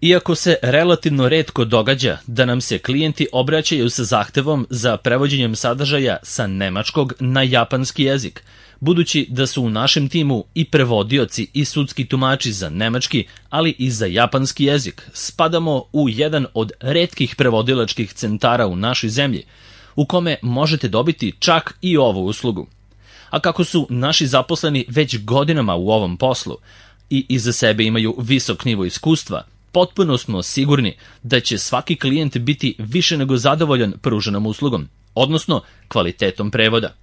Iako se relativno retko događa da nam se klijenti obraćaju sa zahtevom za prevođenjem sadržaja sa nemačkog na japanski jezik, budući da su u našem timu i prevodioci i sudski tumači za nemački, ali i za japanski jezik, spadamo u jedan od retkih prevodilačkih centara u našoj zemlji, u kome možete dobiti čak i ovu uslugu. A kako su naši zaposleni već godinama u ovom poslu i iza sebe imaju visok nivo iskustva, potpuno smo sigurni da će svaki klijent biti više nego zadovoljan pruženom uslugom, odnosno kvalitetom prevoda.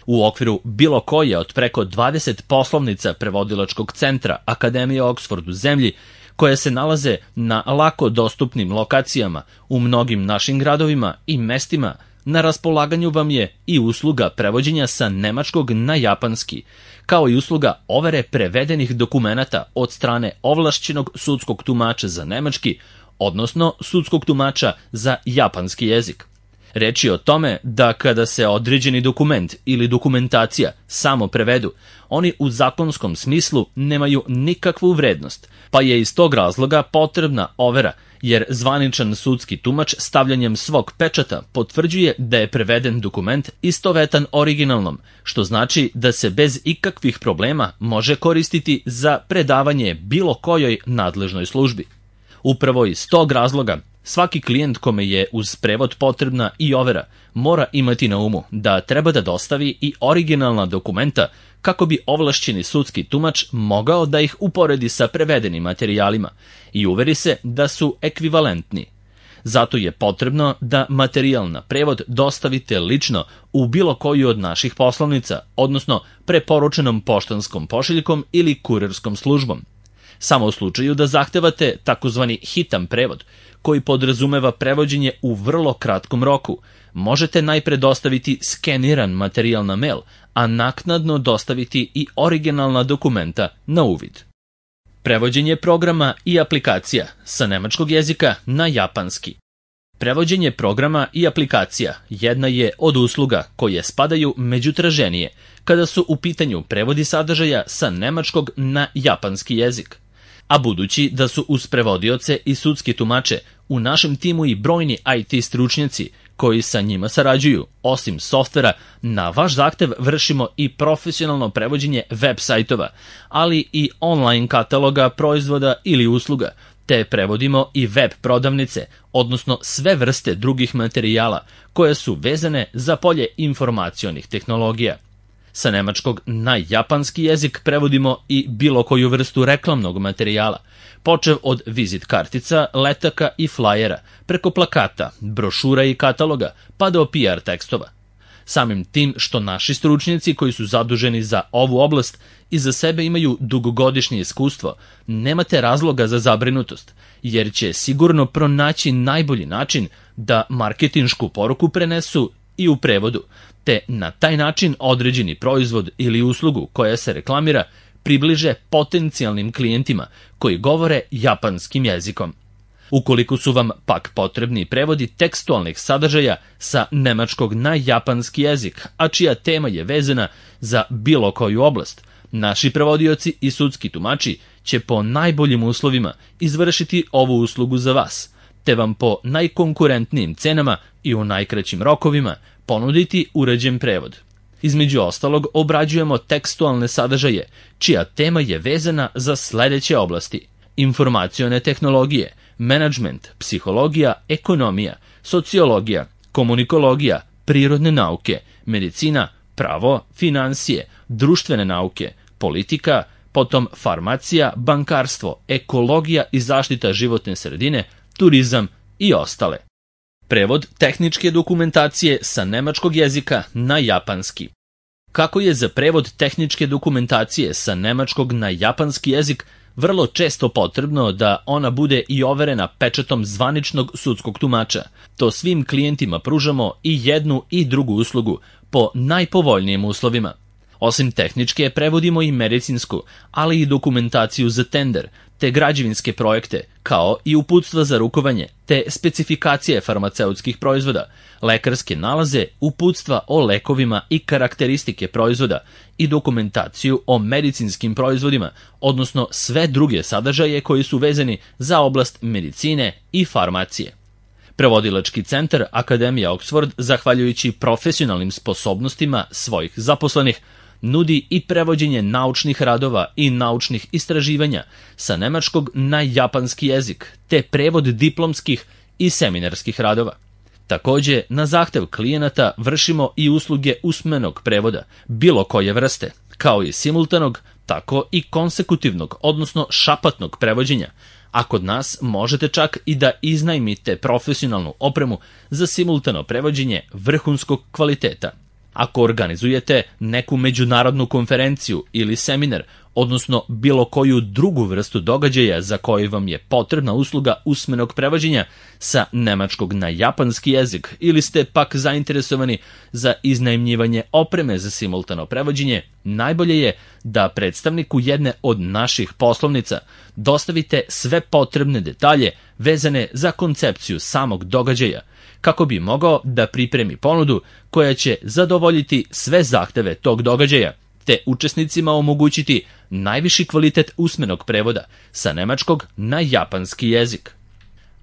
U okviru bilo koje od preko 20 poslovnica prevodilačkog centra Akademije Oxford u zemlji, koje se nalaze na lako dostupnim lokacijama u mnogim našim gradovima i mestima, na raspolaganju vam je i usluga prevođenja sa nemačkog na japanski, kao i usluga overe prevedenih dokumenata od strane ovlašćenog sudskog tumača za nemački, odnosno sudskog tumača za japanski jezik. Reč je o tome da kada se određeni dokument ili dokumentacija samo prevedu, oni u zakonskom smislu nemaju nikakvu vrednost, pa je iz tog razloga potrebna overa, jer zvaničan sudski tumač stavljanjem svog pečata potvrđuje da je preveden dokument istovetan originalnom, što znači da se bez ikakvih problema može koristiti za predavanje bilo kojoj nadležnoj službi. Upravo iz tog razloga, svaki klijent kome je uz prevod potrebna i overa mora imati na umu da treba da dostavi i originalna dokumenta kako bi ovlašćeni sudski tumač mogao da ih uporedi sa prevedenim materijalima i uveri se da su ekvivalentni. Zato je potrebno da materijal na prevod dostavite lično u bilo koju od naših poslovnica, odnosno preporučenom poštanskom pošiljkom ili kurirskom službom. Samo u slučaju da zahtevate takozvani hitan prevod, koji podrazumeva prevođenje u vrlo kratkom roku, možete najpre dostaviti skeniran materijal na mail, a naknadno dostaviti i originalna dokumenta na uvid. Prevođenje programa i aplikacija sa nemačkog jezika na japanski. Prevođenje programa i aplikacija jedna je od usluga koje spadaju među traženije kada su u pitanju prevodi sadržaja sa nemačkog na japanski jezik. A budući da su uz prevodioce i sudski tumače u našem timu i brojni IT stručnjaci koji sa njima sarađuju, osim softvera, na vaš zahtev vršimo i profesionalno prevođenje web sajtova, ali i online kataloga proizvoda ili usluga, te prevodimo i web prodavnice, odnosno sve vrste drugih materijala koje su vezane za polje informacionih tehnologija. Sa nemačkog na japanski jezik prevodimo i bilo koju vrstu reklamnog materijala, počev od vizit kartica, letaka i flajera, preko plakata, brošura i kataloga, pa do PR tekstova. Samim tim što naši stručnjaci koji su zaduženi za ovu oblast iza sebe imaju dugogodišnje iskustvo, nemate razloga za zabrinutost, jer će sigurno pronaći najbolji način da marketinšku poruku prenesu i u prevodu, te na taj način određeni proizvod ili uslugu koja se reklamira približe potencijalnim klijentima koji govore japanskim jezikom. Ukoliko su vam pak potrebni prevodi tekstualnih sadržaja sa nemačkog na japanski jezik, a čija tema je vezana za bilo koju oblast, naši prevodioci i sudski tumači će po najboljim uslovima izvršiti ovu uslugu za vas, te vam po najkonkurentnijim cenama i u najkraćim rokovima ponuditi uređen prevod. Između ostalog, obrađujemo tekstualne sadržaje, čija tema je vezana za sledeće oblasti: informacione tehnologije, menadžment, psihologija, ekonomija, sociologija, komunikologija, prirodne nauke, medicina, pravo, finansije, društvene nauke, politika, potom farmacija, bankarstvo, ekologija i zaštita životne sredine, turizam i ostale. Prevod tehničke dokumentacije sa nemačkog jezika na japanski. Kako je za prevod tehničke dokumentacije sa nemačkog na japanski jezik vrlo često potrebno da ona bude i overena pečatom zvaničnog sudskog tumača, to svim klijentima pružamo i jednu i drugu uslugu po najpovoljnijim uslovima. Osim tehničke, prevodimo i medicinsku, ali i dokumentaciju za tender, te građevinske projekte, kao i uputstva za rukovanje, te specifikacije farmaceutskih proizvoda, lekarske nalaze, uputstva o lekovima i karakteristike proizvoda i dokumentaciju o medicinskim proizvodima, odnosno sve druge sadržaje koji su vezani za oblast medicine i farmacije. Prevodilački centar Akademija Oxford, zahvaljujući profesionalnim sposobnostima svojih zaposlenih, nudi i prevođenje naučnih radova i naučnih istraživanja sa nemačkog na japanski jezik, te prevod diplomskih i seminarskih radova. Takođe, na zahtev klijenata vršimo i usluge usmenog prevoda, bilo koje vrste, kao i simultanog, tako i konsekutivnog, odnosno šapatnog prevođenja, a kod nas možete čak i da iznajmite profesionalnu opremu za simultano prevođenje vrhunskog kvaliteta. Ako organizujete neku međunarodnu konferenciju ili seminar, odnosno bilo koju drugu vrstu događaja za koju vam je potrebna usluga usmenog prevođenja sa nemačkog na japanski jezik ili ste pak zainteresovani za iznajmljivanje opreme za simultano prevođenje, najbolje je da predstavniku jedne od naših poslovnica dostavite sve potrebne detalje vezane za koncepciju samog događaja, kako bi mogao da pripremi ponudu koja će zadovoljiti sve zahteve tog događaja, te učesnicima omogućiti najviši kvalitet usmenog prevoda sa nemačkog na japanski jezik.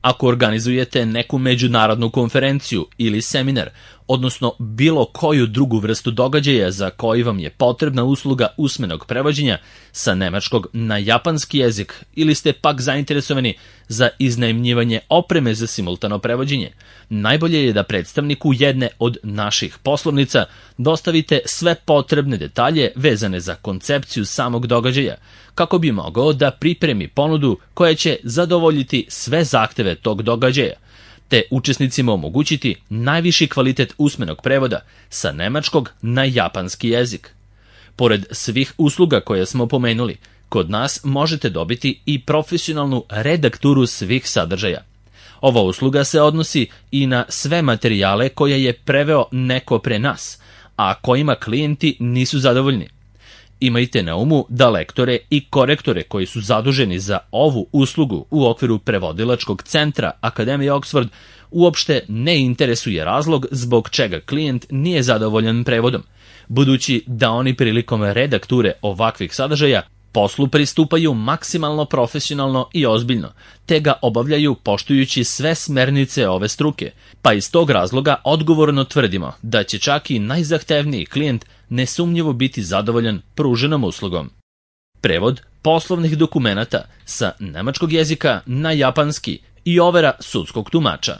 Ako organizujete neku međunarodnu konferenciju ili seminar, odnosno bilo koju drugu vrstu događaja za koji vam je potrebna usluga usmenog prevođenja sa nemačkog na japanski jezik ili ste pak zainteresovani za iznajmljivanje opreme za simultano prevođenje, najbolje je da predstavniku jedne od naših poslovnica dostavite sve potrebne detalje vezane za koncepciju samog događaja, kako bi mogao da pripremi ponudu koja će zadovoljiti sve zahteve tog događaja, te učesnicima omogućiti najviši kvalitet usmenog prevoda sa nemačkog na japanski jezik. Pored svih usluga koje smo pomenuli, kod nas možete dobiti i profesionalnu redakturu svih sadržaja. Ova usluga se odnosi i na sve materijale koje je preveo neko pre nas, a kojima klijenti nisu zadovoljni. Imajte na umu da lektore i korektore koji su zaduženi za ovu uslugu u okviru prevodilačkog centra Akademije Oxford uopšte ne interesuje razlog zbog čega klijent nije zadovoljan prevodom, budući da oni prilikom redakture ovakvih sadržaja poslu pristupaju maksimalno profesionalno i ozbiljno, te ga obavljaju poštujući sve smernice ove struke, pa iz tog razloga odgovorno tvrdimo da će čak i najzahtevniji klijent nesumnjivo biti zadovoljan pruženom uslugom. Prevod poslovnih dokumenata sa nemačkog jezika na japanski i overa sudskog tumača.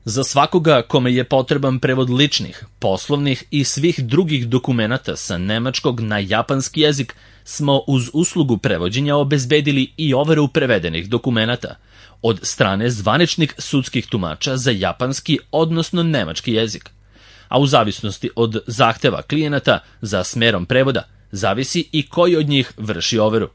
Za svakoga kome je potreban prevod ličnih, poslovnih i svih drugih dokumenata sa nemačkog na japanski jezik smo uz uslugu prevođenja obezbedili i overu prevedenih dokumenata od strane zvaničnih sudskih tumača za japanski, odnosno nemački jezik. A u zavisnosti od zahteva klijenata za smerom prevoda, zavisi i koji od njih vrši overu.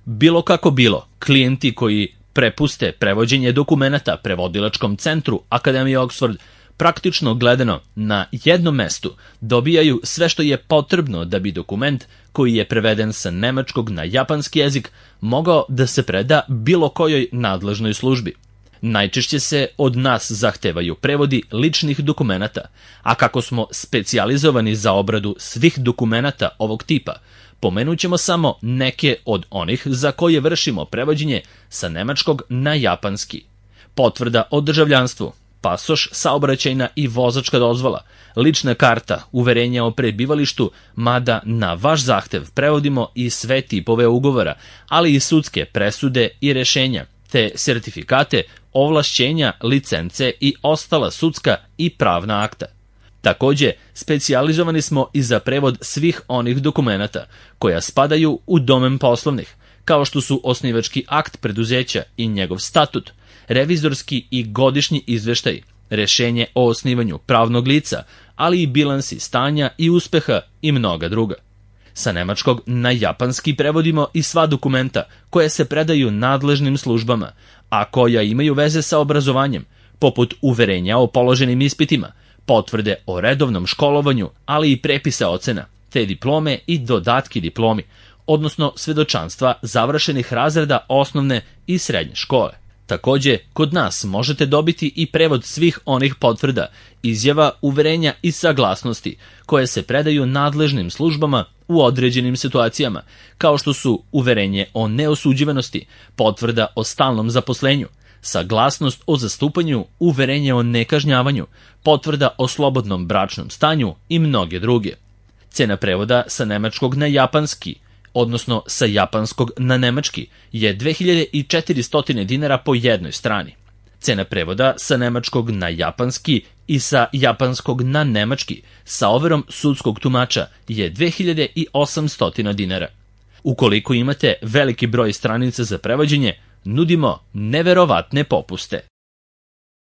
Bilo kako bilo, klijenti koji prepuste prevođenje dokumenata prevodilačkom centru Akademije Oxford, praktično gledano na jednom mestu dobijaju sve što je potrebno da bi dokument koji je preveden sa nemačkog na japanski jezik mogao da se preda bilo kojoj nadležnoj službi. Najčešće se od nas zahtevaju prevodi ličnih dokumenata, a kako smo specijalizovani za obradu svih dokumenata ovog tipa, pomenut ćemo samo neke od onih za koje vršimo prevođenje sa nemačkog na japanski. Potvrda o državljanstvu, pasoš, saobraćajna i vozačka dozvola, lična karta, uverenja o prebivalištu, mada na vaš zahtev prevodimo i sve tipove ugovora, ali i sudske presude i rešenja, te sertifikate, ovlašćenja, licence i ostala sudska i pravna akta. Takođe, specijalizovani smo i za prevod svih onih dokumenata koja spadaju u domen poslovnih, kao što su osnivački akt preduzeća i njegov statut, revizorski i godišnji izveštaj, rešenje o osnivanju pravnog lica, ali i bilansi stanja i uspeha i mnoga druga. Sa nemačkog na japanski prevodimo i sva dokumenta koja se predaju nadležnim službama, a koja imaju veze sa obrazovanjem, poput uverenja o položenim ispitima, potvrde o redovnom školovanju, ali i prepisa ocena, te diplome i dodatki diplomi, odnosno svedočanstva završenih razreda osnovne i srednje škole. Takođe, kod nas možete dobiti i prevod svih onih potvrda, izjava, uverenja i saglasnosti koje se predaju nadležnim službama u određenim situacijama, kao što su uverenje o neosuđivanosti, potvrda o stalnom zaposlenju, saglasnost o zastupanju, uverenje o nekažnjavanju, potvrda o slobodnom bračnom stanju i mnoge druge. Cena prevoda sa nemačkog na japanski, odnosno sa japanskog na nemački, je 2400 dinara po jednoj strani. Cena prevoda sa nemačkog na japanski i sa japanskog na nemački sa overom sudskog tumača je 2800 dinara. Ukoliko imate veliki broj stranica za prevođenje, nudimo neverovatne popuste.